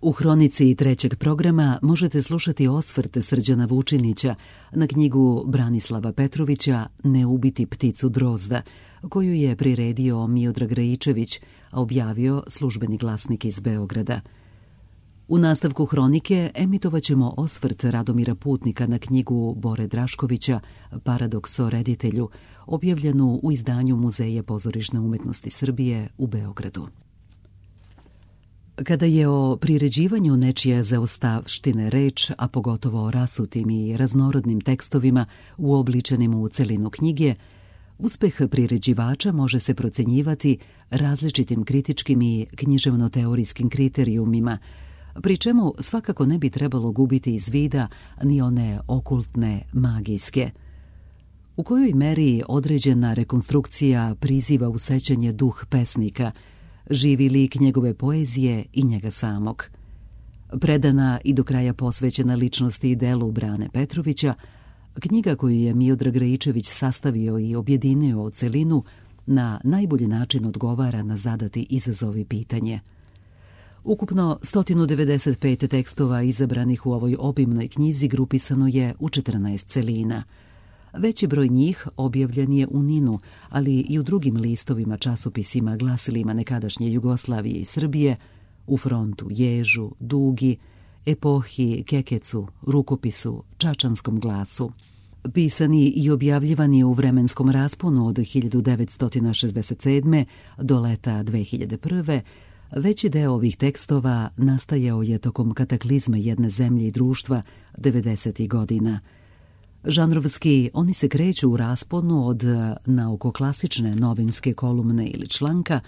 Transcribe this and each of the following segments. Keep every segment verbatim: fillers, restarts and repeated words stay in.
U hronici trećeg programa možete slušati osvrt Srđana Vučinića na knjigu Branislava Petrovića Ne ubiti pticu drozda, koju je priredio Miodrag Rajičević, a objavio Službeni glasnik iz Beograda. U nastavku hronike emitovaćemo osvrt Radomira Putnika na knjigu Bore Draškovića Paradoks o reditelju, objavljenu u izdanju Muzeja pozorišne umetnosti Srbije u Beogradu. Kada je o priređivanju nečije zaostavštine reč, a pogotovo o rasutim i raznorodnim tekstovima uobličenim u celinu knjige, uspeh priređivača može se procenjivati različitim kritičkim i književno-teorijskim kriterijumima, pri čemu svakako ne bi trebalo gubiti iz vida ni one okultne, magijske. U kojoj meri određena rekonstrukcija priziva u sećanje duh pesnika, živi lik njegove poezije i njega samog. Predana i do kraja posvećena ličnosti i delu Brane Petrovića, knjiga koju je Miodrag Rajičević sastavio i objedinio u celinu na najbolji način odgovara na zadati izazov i pitanje. Ukupno sto devedeset pet tekstova izabranih u ovoj obimnoj knjizi grupisano je u četrnaest celina. Veći broj njih objavljen je u Ninu, ali i u drugim listovima, časopisima, glasilima nekadašnje Jugoslavije i Srbije, u Frontu, Ježu, Dugi, Epohi, Kekecu, Rukopisu, Čačanskom glasu. Pisani i objavljivani u vremenskom rasponu od hiljadu devetsto šezdeset sedme. do leta dve hiljade prve. Veći deo ovih tekstova nastajao je tokom kataklizme jedne zemlje i društva devedesetih godina. Žanrovski oni se kreću u rasponu od naukoklasične novinske kolumne ili članka,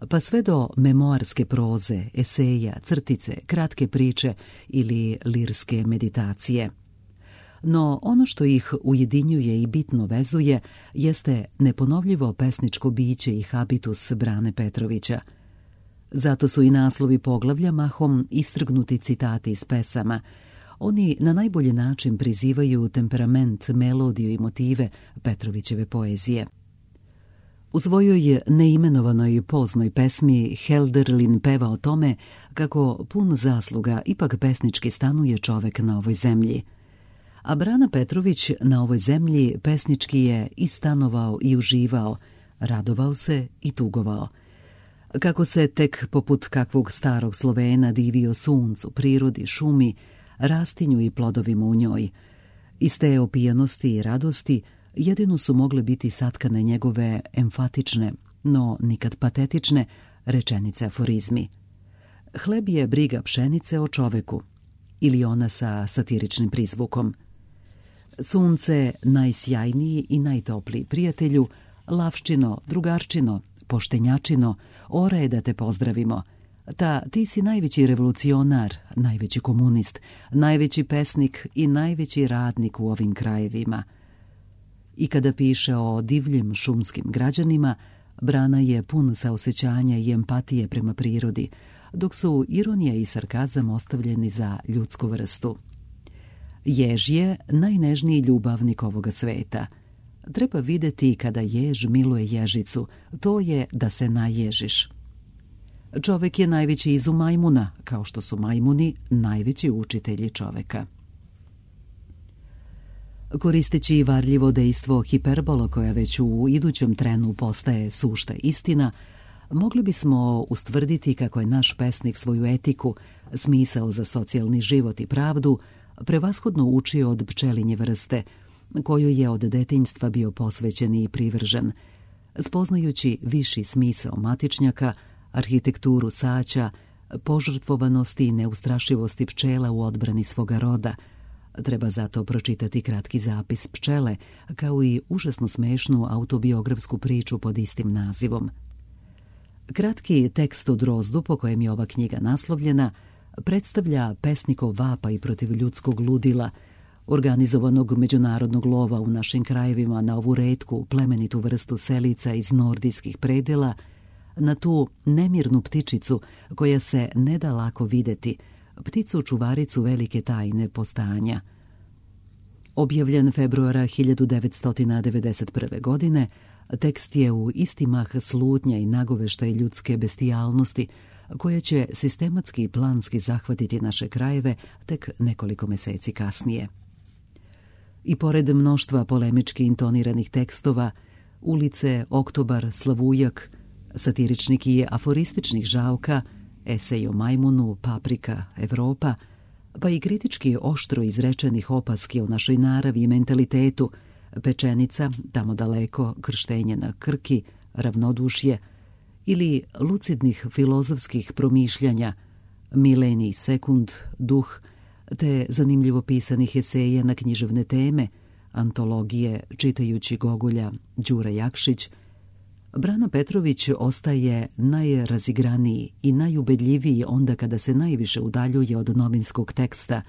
pa sve do memoarske proze, eseja, crtice, kratke priče ili lirske meditacije. No ono što ih ujedinjuje i bitno vezuje jeste neponovljivo pesničko biće i habitus Brane Petrovića. Zato su i naslovi poglavlja mahom istrgnuti citati iz pesama. Oni na najbolji način prizivaju temperament, melodiju i motive Petrovićeve poezije. U svojoj neimenovanoj poznoj pesmi Helderlin peva o tome kako pun zasluga ipak pesnički stanuje čovek na ovoj zemlji. A Brana Petrović na ovoj zemlji pesnički je i stanovao i uživao, radovao se i tugovao. Kako se tek poput kakvog starog Slovena divio suncu, prirodi, šumi, rastinju i plodovima u njoj. Iz te opijanosti i radosti jedino su mogle biti satkane njegove emfatične, no nikad patetične, rečenice aforizmi. Hleb je briga pšenice o čoveku, ili ona sa satiričnim prizvukom. Sunce, najsjajniji i najtopliji prijatelju, lavščino, drugarčino, poštenjačino, ora je da te pozdravimo. Ta, ti si najveći revolucionar, najveći komunist, najveći pesnik i najveći radnik u ovim krajevima. I kada piše o divljim šumskim građanima, Brana je pun saosećanja i empatije prema prirodi, dok su ironija i sarkazam ostavljeni za ljudsku vrstu. Jež je najnežniji ljubavnik ovoga sveta. Treba videti kada jež miluje ježicu, to je da se naježiš. Čovek je najveći izum majmuna, kao što su majmuni najveći učitelji čoveka. Koristeći varljivo dejstvo hiperbola koja već u idućem trenu postaje sušta istina, mogli bismo ustvrditi kako je naš pesnik svoju etiku, smisao za socijalni život i pravdu, prevashodno učio od pčelinje vrste, kojoj je od detinjstva bio posvećen i privržen, spoznajući viši smisao matičnjaka, arhitekturu saća, požrtvovanosti i neustrašivosti pčela u odbrani svoga roda. Treba zato pročitati kratki zapis pčele, kao i užasno smešnu autobiografsku priču pod istim nazivom. Kratki tekst o drozdu, po kojem je ova knjiga naslovljena, predstavlja pesnikov vapaj protiv ljudskog ludila, organizovanog međunarodnog lova u našim krajevima na ovu retku, plemenitu vrstu selica iz nordijskih predela, na tu nemirnu ptičicu koja se ne da lako videti, pticu čuvaricu velike tajne postojanja. Objavljen februara hiljadu devetsto devedeset prve. godine, tekst je u isti mah slutnja i nagoveštaj ljudske bestijalnosti, koja će sistematski i planski zahvatiti naše krajeve tek nekoliko meseci kasnije. I pored mnoštva polemički intoniranih tekstova, Ulice, Oktobar, Slavujak, satiričnih i aforističnih žalka, esej o majmunu, Paprika, Evropa, pa i kritički oštro izrečenih opaski o našoj naravi i mentalitetu, Pečenica, Tamo daleko, Krštenje na Krki, Ravnodušje, ili lucidnih filozofskih promišljanja, Milenij sekund, Duh, te zanimljivo pisanih eseja na književne teme, antologije čitajući Gogolja, Đura Jakšić, Brana Petrović ostaje najrazigraniji i najubedljiviji onda kada se najviše udaljuje od novinskog teksta,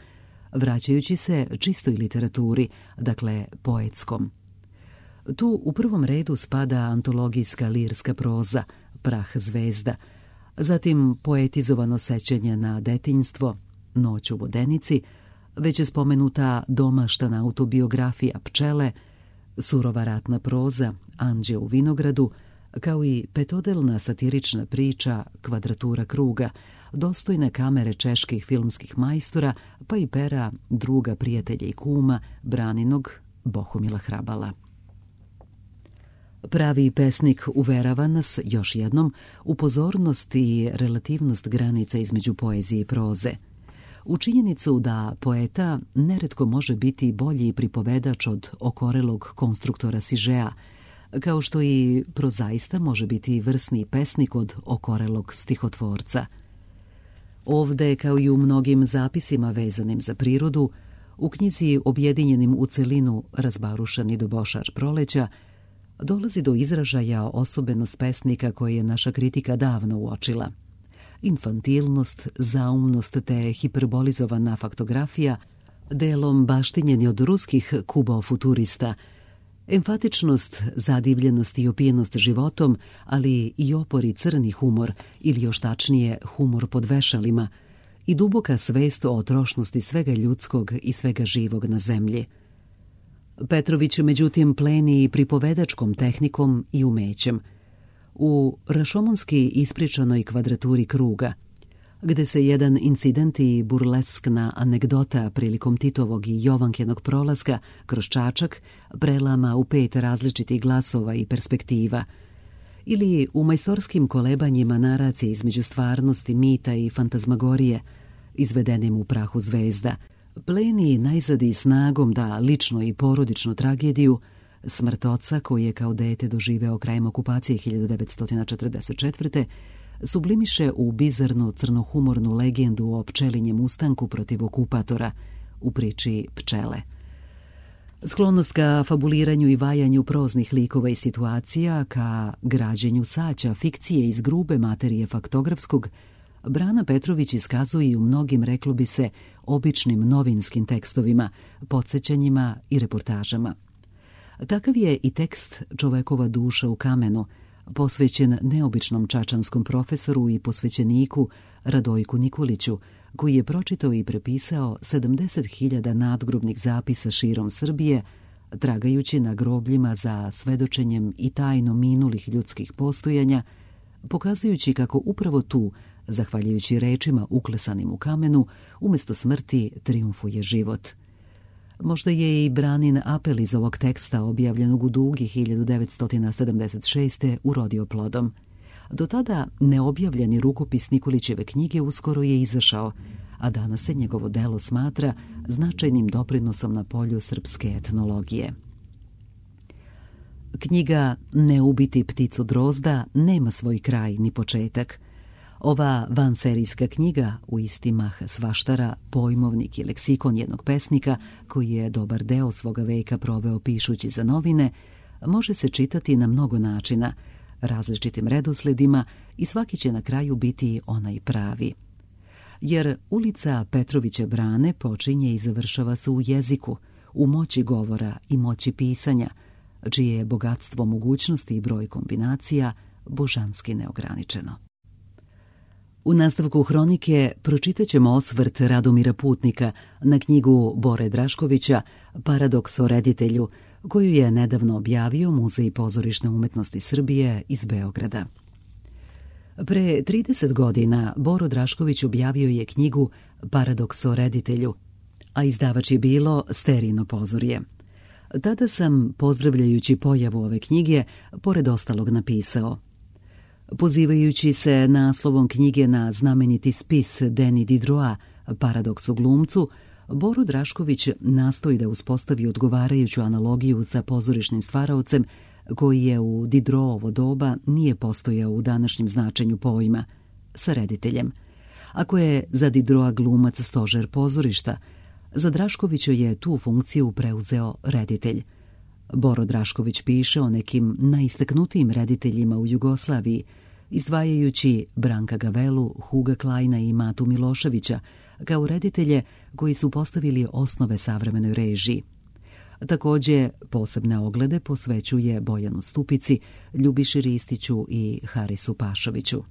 vraćajući se čistoj literaturi, dakle poetskom. Tu u prvom redu spada antologijska lirska proza, Prah zvezda, zatim poetizovano sećanje na detinjstvo, Noć u Vodenici, već je spomenuta domaštana autobiografija Pčele, surova ratna proza, Anđe u vinogradu, kao i petodelna satirična priča Kvadratura kruga, dostojne kamere čeških filmskih majstora, pa i pera druga prijatelja i kuma, Braninog Bohumila Hrabala. Pravi pesnik uverava nas, još jednom, u pozornost i relativnost granica između poezije i proze. U činjenicu da poeta neretko može biti bolji pripovedač od okorelog konstruktora sižea, kao što i prozaista može biti vrsni pesnik od okorelog stihotvorca. Ovde, kao i u mnogim zapisima vezanim za prirodu, u knjizi objedinjenim u celinu Razbarušan i dobošar proleća, dolazi do izražaja osobenost pesnika koje je naša kritika davno uočila. Infantilnost, zaumnost te hiperbolizovana faktografija, delom baštinjeni od ruskih kubofuturista, emfatičnost, zadivljenost i opijenost životom, ali i opor i crni humor, ili još tačnije humor pod vešalima, i duboka svest o trošnosti svega ljudskog i svega živog na zemlji. Petrović, međutim, pleni i pripovedačkom tehnikom i umećem. U rašomonski ispričanoj Kvadraturi kruga, gde se jedan incident i burleskna anegdota prilikom Titovog i Jovankenog prolaska kroz Čačak prelama u pet različitih glasova i perspektiva, ili u majstorskim kolebanjima naracije između stvarnosti, mita i fantazmagorije, izvedenim u Prahu zvezda, pleni najzad i snagom da lično i porodičnu tragediju, smrt oca koji je kao dete doživeo krajem okupacije hiljadu devetsto četrdeset četvrte sublimiše u bizarnu crnohumornu legendu o pčelinjem ustanku protiv okupatora u priči Pčele. Sklonost ka fabuliranju i vajanju proznih likova i situacija, ka građenju saća fikcije iz grube materije faktografskog, Brana Petrović iskazuje i u mnogim, reklo bi se, običnim novinskim tekstovima, podsjećanjima i reportažama. Takav je i tekst Čovekova duša u kamenu, posvećen neobičnom čačanskom profesoru i posvećeniku Radojku Nikoliću, koji je pročitao i prepisao sedamdeset hiljada nadgrobnih zapisa širom Srbije, tragajući na grobljima za svedočenjem i tajno minulih ljudskih postojanja, pokazujući kako upravo tu, zahvaljujući rečima uklesanim u kamenu, umjesto smrti triumfuje život. Možda je i Branin apel iz ovog teksta, objavljenog u Dugi hiljadu devetsto sedamdeset šeste. urodio plodom. Do tada neobjavljeni rukopis Nikolićeve knjige uskoro je izašao, a danas se njegovo delo smatra značajnim doprinosom na polju srpske etnologije. Knjiga Ne ubiti pticu drozda nema svoj kraj ni početak. Ova vanserijska knjiga, u isti mah svaštara, pojmovnik i leksikon jednog pesnika, koji je dobar deo svoga veka proveo pišući za novine, može se čitati na mnogo načina, različitim redosledima, i svaki će na kraju biti onaj pravi. Jer ulica Petrovića Brane počinje i završava se u jeziku, u moći govora i moći pisanja, čije je bogatstvo mogućnosti i broj kombinacija božanski neograničeno. U nastavku hronike pročitat ćemo osvrt Radomira Putnika na knjigu Bore Draškovića Paradoks o reditelju, koju je nedavno objavio Muzej pozorišne umetnosti Srbije iz Beograda. Pre trideset godina Boro Drašković objavio je knjigu Paradoks o reditelju, a izdavač je bilo Sterijino pozorje. Tada sam, pozdravljajući pojavu ove knjige, pored ostalog napisao: pozivajući se naslovom knjige na znameniti spis Denis Diderota Paradoks o glumcu, Boro Drašković nastoji da uspostavi odgovarajuću analogiju sa pozorišnim stvaraocem koji je u Diderotovo doba nije postojao u današnjem značenju pojma, sa rediteljem. Ako je za Diderota glumac stožer pozorišta, za Draškovića je tu funkciju preuzeo reditelj. Boro Drašković piše o nekim najistaknutijim rediteljima u Jugoslaviji, izdvajajući Branka Gavelu, Huga Kleina i Matu Miloševića kao reditelje koji su postavili osnove savremenoj režiji. Također, posebne oglede posvećuje Bojanu Stupici, Ljubiši Ristiću i Harisu Pašoviću.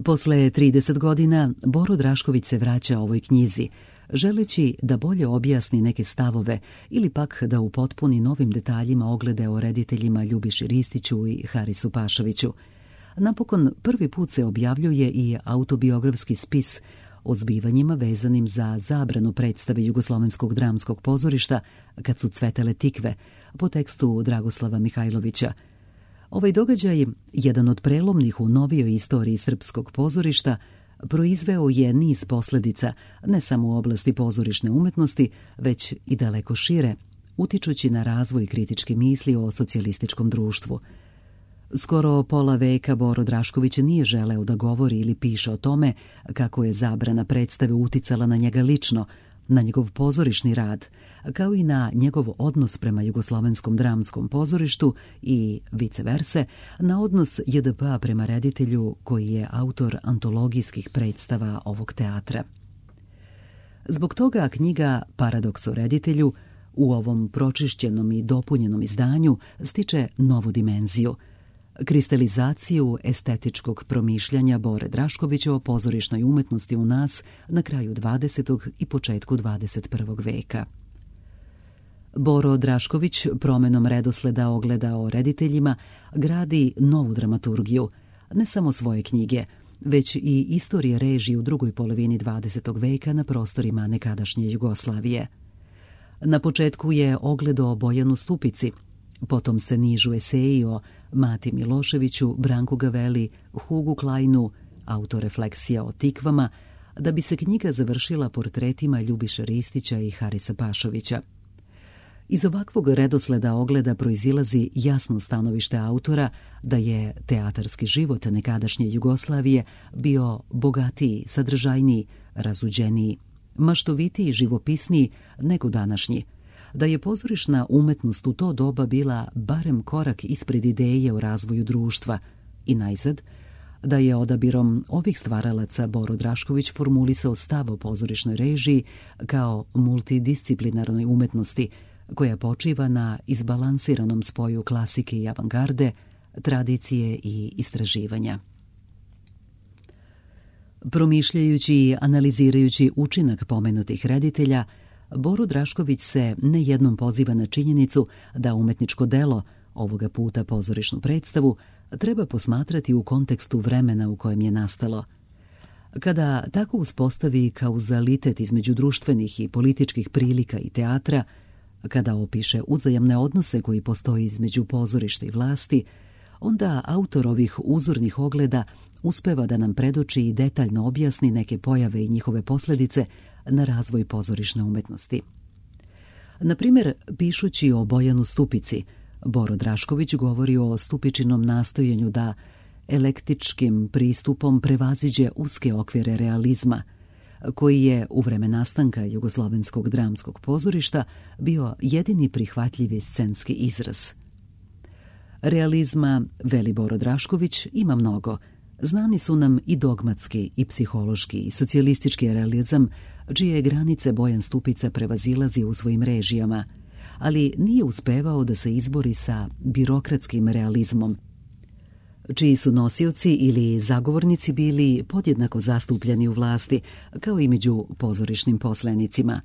Posle trideset godina Boro Drašković se vraća ovoj knjizi, želeći da bolje objasni neke stavove ili pak da upotpuni novim detaljima oglede o rediteljima Ljubiši Ristiću i Harisu Pašoviću. Napokon prvi put se objavljuje i autobiografski spis o zbivanjima vezanim za zabranu predstave Jugoslovenskog dramskog pozorišta Kad su cvetele tikve, po tekstu Dragoslava Mihajlovića. Ovaj događaj, jedan od prelomnih u novijoj istoriji srpskog pozorišta, proizveo je niz posljedica ne samo u oblasti pozorišne umetnosti, već i daleko šire, utičući na razvoj kritičke misli o socijalističkom društvu. Skoro pola veka Boro Drašković nije želeo da govori ili piše o tome kako je zabrana predstave uticala na njega lično, na njegov pozorišni rad, kao i na njegov odnos prema Jugoslovenskom dramskom pozorištu i, vice verse, na odnos J D P-a prema reditelju koji je autor antologijskih predstava ovog teatra. Zbog toga knjiga Paradoks o reditelju u ovom pročišćenom i dopunjenom izdanju stiče novu dimenziju, kristalizaciju estetičkog promišljanja Bore Draškovića o pozorišnoj umetnosti u nas na kraju dvadesetog i početku dvadeset prvog veka. Boro Drašković promenom redosleda ogleda o rediteljima gradi novu dramaturgiju, ne samo svoje knjige, već i istorije režije u drugoj polovini dvadesetog veka na prostorima nekadašnje Jugoslavije. Na početku je ogled o Bojanu Stupici, potom se nižu eseji o Mati Miloševiću, Branku Gaveli, Hugu Kleinu, autorefleksija o tikvama, da bi se knjiga završila portretima Ljubiše Ristića i Harisa Pašovića. Iz ovakvog redosleda ogleda proizilazi jasno stanovište autora da je teatarski život nekadašnje Jugoslavije bio bogatiji, sadržajniji, razuđeniji, maštovitiji, živopisniji nego današnji, da je pozorišna umetnost u to doba bila barem korak ispred ideje o razvoju društva i najzad, da je odabirom ovih stvaralaca Boro Drašković formulisao stav o pozorišnoj režiji kao multidisciplinarnoj umetnosti koja počiva na izbalansiranom spoju klasike i avangarde, tradicije i istraživanja. Promišljajući i analizirajući učinak pomenutih reditelja, Boro Drašković se nejednom poziva na činjenicu da umetničko delo, ovoga puta pozorišnu predstavu, treba posmatrati u kontekstu vremena u kojem je nastalo. Kada tako uspostavi kauzalitet između društvenih i političkih prilika i teatra, kada opiše uzajamne odnose koji postoji između pozorišta i vlasti, onda autor ovih uzornih ogleda uspeva da nam predoči i detaljno objasni neke pojave i njihove posljedice na razvoj pozorišne umetnosti. Na primjer, pišući o Bojanu Stupici, Boro Drašković govori o Stupičinom nastojanju da elektičkim pristupom prevaziđe uske okvire realizma, koji je u vreme nastanka Jugoslovenskog dramskog pozorišta bio jedini prihvatljivi scenski izraz. Realizma, veli Boro Drašković, ima mnogo. Znani su nam i dogmatski, i psihološki, i socijalistički realizam, čije granice Bojan Stupica prevazilazi u svojim režijama, ali nije uspevao da se izbori sa birokratskim realizmom, čiji su nosioci ili zagovornici bili podjednako zastupljeni u vlasti, kao i među pozorišnim poslenicima.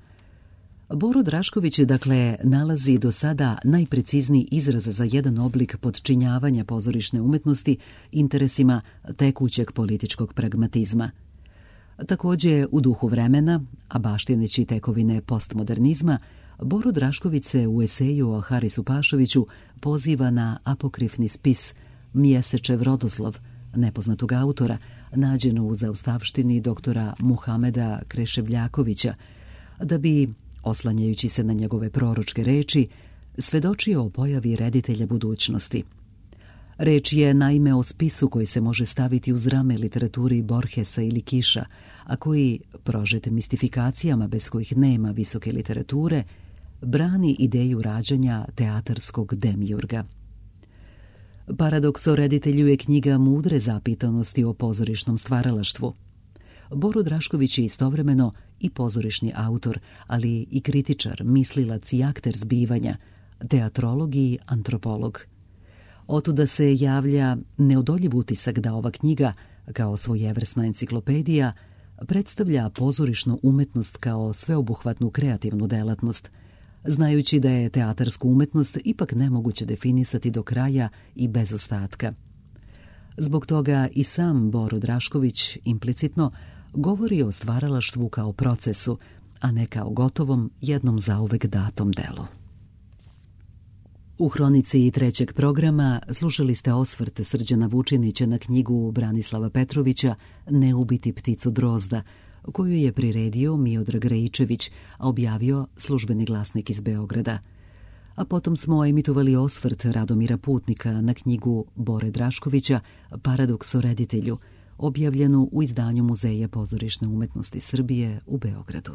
Boro Drašković, dakle, nalazi do sada najprecizniji izraz za jedan oblik podčinjavanja pozorišne umetnosti interesima tekućeg političkog pragmatizma. Također, u duhu vremena, a baštineći tekovine postmodernizma, Boro Drašković se u eseju o Harisu Pašoviću poziva na apokrifni spis Mjesečev rodoslov, nepoznatog autora, nađeno u zaustavštini doktora Muhameda Kreševljakovića, da bi, oslanjajući se na njegove proročke reči, svedočio o pojavi reditelja budućnosti. Reč je naime o spisu koji se može staviti uz rame literaturi Borgesa ili Kiša, a koji, prožet mistifikacijama bez kojih nema visoke literature, brani ideju rađanja teatarskog demiurga. Paradoks o reditelju je knjiga mudre zapitanosti o pozorišnom stvaralaštvu. Boro Drašković je istovremeno i pozorišni autor, ali i kritičar, mislilac i akter zbivanja, teatrolog i antropolog. Otuda se javlja neodoljiv utisak da ova knjiga, kao svojevrsna enciklopedija, predstavlja pozorišnu umetnost kao sveobuhvatnu kreativnu delatnost, znajući da je teatarsku umetnost ipak nemoguće definisati do kraja i bez ostatka. Zbog toga i sam Boro Drašković implicitno govori o stvaralaštvu kao procesu, a ne kao gotovom, jednom zauvek datom delu. U hronici trećeg programa slušali ste osvrt Srđana Vučinića na knjigu Branislava Petrovića Ne ubiti pticu drozda, koju je priredio Miodrag Rejičević, a objavio Službeni glasnik iz Beograda. A potom smo emitovali osvrt Radomira Putnika na knjigu Bore Draškovića Paradoks o reditelju, objavljenu u izdanju Muzeja pozorišne umetnosti Srbije u Beogradu.